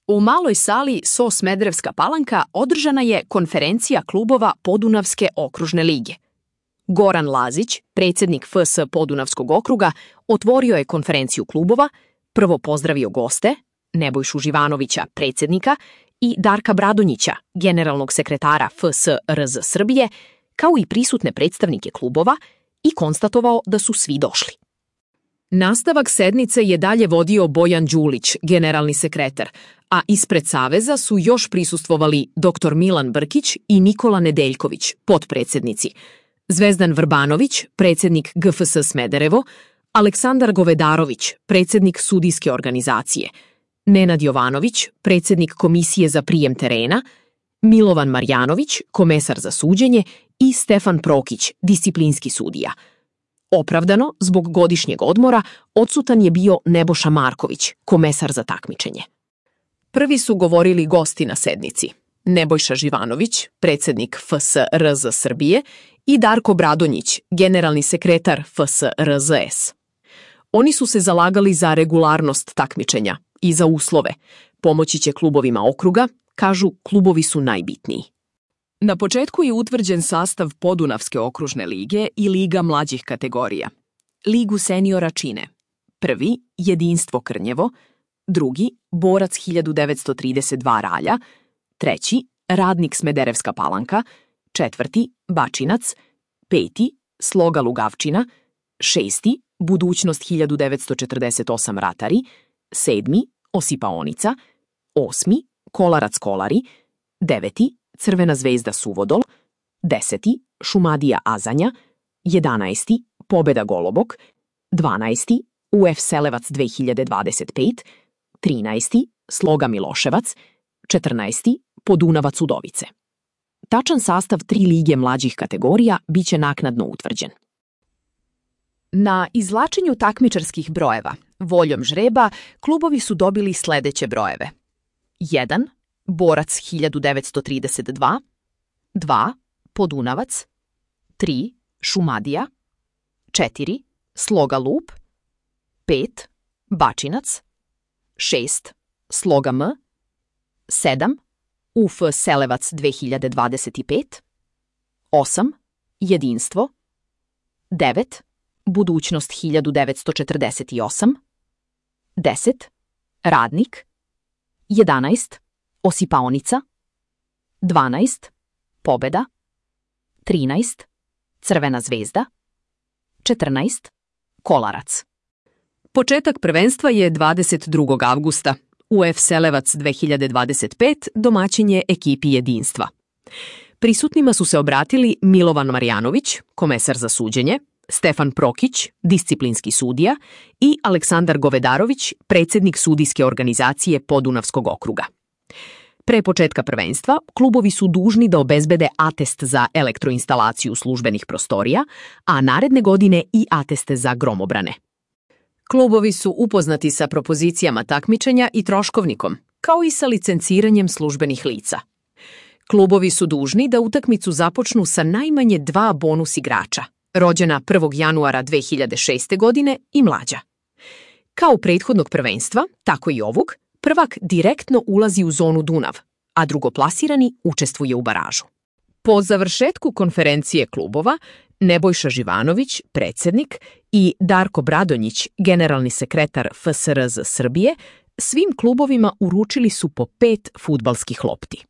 U maloj sali SO Smederevska Palanka održana je konferencija klubova Podunavske okružne lige. Goran Lazić, predsjednik FS Podunavskog okruga, otvorio je konferenciju klubova, prvo pozdravio goste, Nebojšu Živanovića, predsjednika, i Darka Bradonjića, generalnog sekretara FS RZ Srbije, kao i prisutne predstavnike klubova, i konstatovao da su svi došli. Nastavak sednice je dalje vodio Bojan Đulić, generalni sekretar, a ispred Saveza su još prisustvovali dr. Milan Brkić i Nikola Nedeljković, potpredsjednici, Zvezdan Vrbanović, predsjednik GFS Smederevo, Aleksandar Govedarović, predsjednik sudijske organizacije, Nenad Jovanović, predsjednik komisije za prijem terena, Milovan Marjanović, komesar za suđenje, i Stefan Prokić, disciplinski sudija. Opravdano, zbog godišnjeg odmora, odsutan je bio Nebojša Marković, komesar za takmičenje. Prvi su govorili gosti na sednici: Nebojša Živanović, predsjednik FS RZ Srbije, i Darko Bradonjić, generalni sekretar FS RZS. Oni su se zalagali za regularnost takmičenja i za uslove. Pomoći će klubovima okruga, kažu, klubovi su najbitniji. Na početku je utvrđen sastav Podunavske okružne lige i liga mlađih kategorija. Ligu seniora čine: prvi Jedinstvo Krnjevo, drugi Borac 1932 Ralja, treći Radnik Smederevska Palanka, četvrti Bačinac, peti Sloga Lugavčina, šesti Budućnost 1948 Ratari, sedmi Osipaonica, osmi Kolarac Kolari, deveti Crvena zvezda Suvodol, 10. Šumadija Azanja, 11. Pobeda Golobok, 12. UF Selevac 2025, 13. Sloga Miloševac, 14. Podunavac Udovice. Tačan sastav 3 lige mlađih kategorija biće naknadno utvrđen. Na izvlačenju takmičarskih brojeva, voljom žreba, klubovi su dobili sledeće brojeve: 1. Borac 1932, 2. Podunavac, 3. Šumadija, 4. Sloga Lup, 5. Bačinac, 6. Sloga M, 7. UF Selevac 2025, 8. Jedinstvo, 9. Budućnost 1948, 10. Radnik, 11. Osipaonica, 12. Pobeda, 13. Crvena zvezda, 14. Kolarac. Početak prvenstva je 22. avgusta. UF Selevac 2025 domaćin je ekipi Jedinstva. Prisutnima su se obratili Milovan Marjanović, komesar za suđenje, Stefan Prokić, disciplinski sudija, i Aleksandar Govedarović, predsjednik sudijske organizacije Podunavskog okruga. Pre početka prvenstva, klubovi su dužni da obezbede atest za elektroinstalaciju službenih prostorija, a naredne godine i ateste za gromobrane. Klubovi su upoznati sa propozicijama takmičenja i troškovnikom, kao i sa licenciranjem službenih lica. Klubovi su dužni da utakmicu započnu sa najmanje 2 bonus igrača, rođena 1. januara 2006. godine i mlađa. Kao prethodnog prvenstva, tako i ovog, prvak direktno ulazi u zonu Dunav, a drugoplasirani učestvuje u baražu. Po završetku konferencije klubova, Nebojša Živanović, predsjednik, i Darko Bradonjić, generalni sekretar FSRZ Srbije, svim klubovima uručili su po 5 fudbalskih lopti.